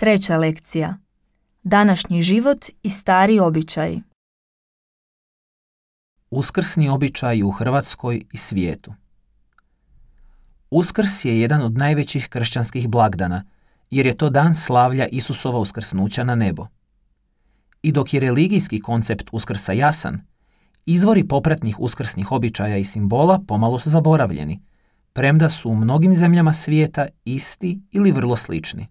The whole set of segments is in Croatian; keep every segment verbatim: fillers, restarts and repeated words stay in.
Treća lekcija. Današnji život i stari običaji. Uskrsni običaji u Hrvatskoj i svijetu. Uskrs je jedan od najvećih kršćanskih blagdana, jer je to dan slavlja Isusova uskrsnuća na nebo. I dok je religijski koncept Uskrsa jasan, izvori popratnih uskrsnih običaja i simbola pomalo su zaboravljeni, premda su u mnogim zemljama svijeta isti ili vrlo slični.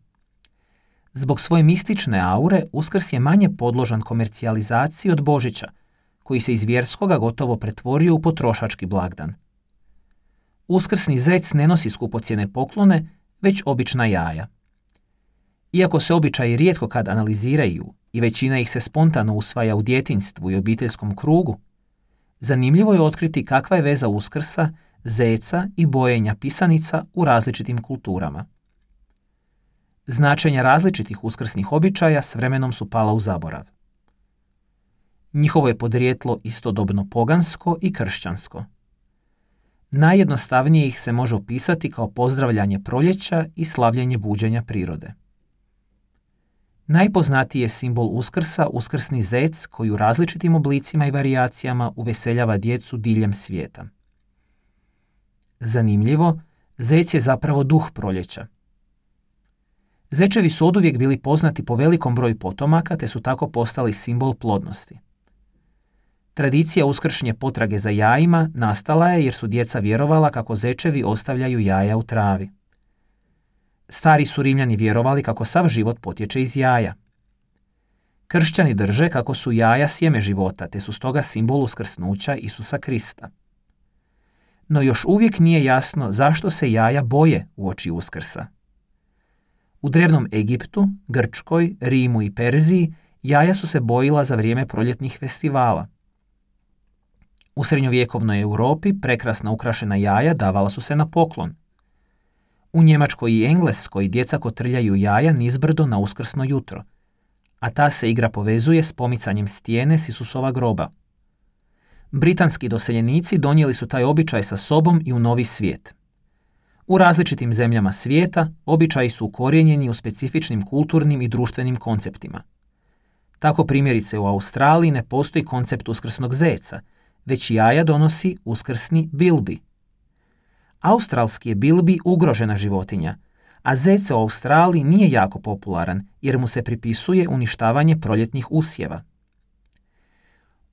Zbog svoje mistične aure, Uskrs je manje podložan komercijalizaciji od Božića, koji se iz vjerskoga gotovo pretvorio u potrošački blagdan. Uskrsni zec ne nosi skupocjene poklone, već obična jaja. Iako se običaji rijetko kad analiziraju i većina ih se spontano usvaja u djetinjstvu i obiteljskom krugu, zanimljivo je otkriti kakva je veza Uskrsa, zeca i bojenja pisanica u različitim kulturama. Značenja različitih uskrsnih običaja s vremenom su pala u zaborav. Njihovo je podrijetlo istodobno pogansko i kršćansko. Najjednostavnije ih se može opisati kao pozdravljanje proljeća i slavljenje buđenja prirode. Najpoznatiji je simbol Uskrsa uskrsni zec koji u različitim oblicima i varijacijama uveseljava djecu diljem svijeta. Zanimljivo, zec je zapravo duh proljeća. Zečevi su oduvijek bili poznati po velikom broju potomaka te su tako postali simbol plodnosti. Tradicija uskršnje potrage za jajima nastala je jer su djeca vjerovala kako zečevi ostavljaju jaja u travi. Stari su Rimljani vjerovali kako sav život potječe iz jaja. Kršćani drže kako su jaja sjeme života, te su stoga simbol uskrsnuća Isusa Krista. No još uvijek nije jasno zašto se jaja boje uoči Uskrsa. U drevnom Egiptu, Grčkoj, Rimu i Perziji jaja su se bojila za vrijeme proljetnih festivala. U srednjovjekovnoj Europi prekrasna ukrašena jaja davala su se na poklon. U Njemačkoj i Engleskoj djeca kotrljaju jaja nizbrdo na uskrsno jutro, a ta se igra povezuje s pomicanjem stijene s Isusova groba. Britanski doseljenici donijeli su taj običaj sa sobom i u Novi svijet. U različitim zemljama svijeta običaji su ukorijenjeni u specifičnim kulturnim i društvenim konceptima. Tako primjerice u Australiji ne postoji koncept uskrsnog zeca, već jaja donosi uskrsni bilbi. Australski je bilbi ugrožena životinja, a zec u Australiji nije jako popularan jer mu se pripisuje uništavanje proljetnih usjeva.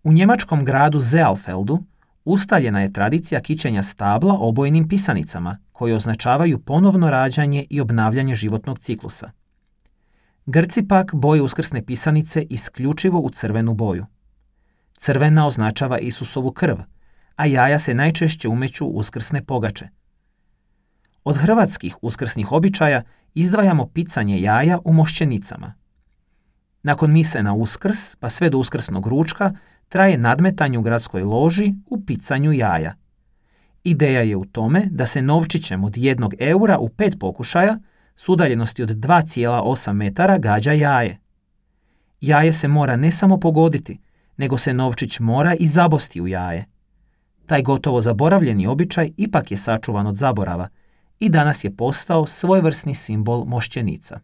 U njemačkom gradu Zealfeldu ustaljena je tradicija kićenja stabla obojenim pisanicama koje označavaju ponovno rađanje i obnavljanje životnog ciklusa. Grci pak boje uskrsne pisanice isključivo u crvenu boju. Crvena označava Isusovu krv, a jaja se najčešće umeću u uskrsne pogače. Od hrvatskih uskrsnih običaja izdvajamo picanje jaja u mošćenicama. Nakon mise na Uskrs, pa sve do uskrsnog ručka, traje nadmetanje u gradskoj loži u picanju jaja. Ideja je u tome da se novčićem od jednog eura u pet pokušaja s udaljenosti od dva zarez osam metara gađa jaje. Jaje se mora ne samo pogoditi, nego se novčić mora i zabosti u jaje. Taj gotovo zaboravljeni običaj ipak je sačuvan od zaborava i danas je postao svojevrsni simbol mošćenica.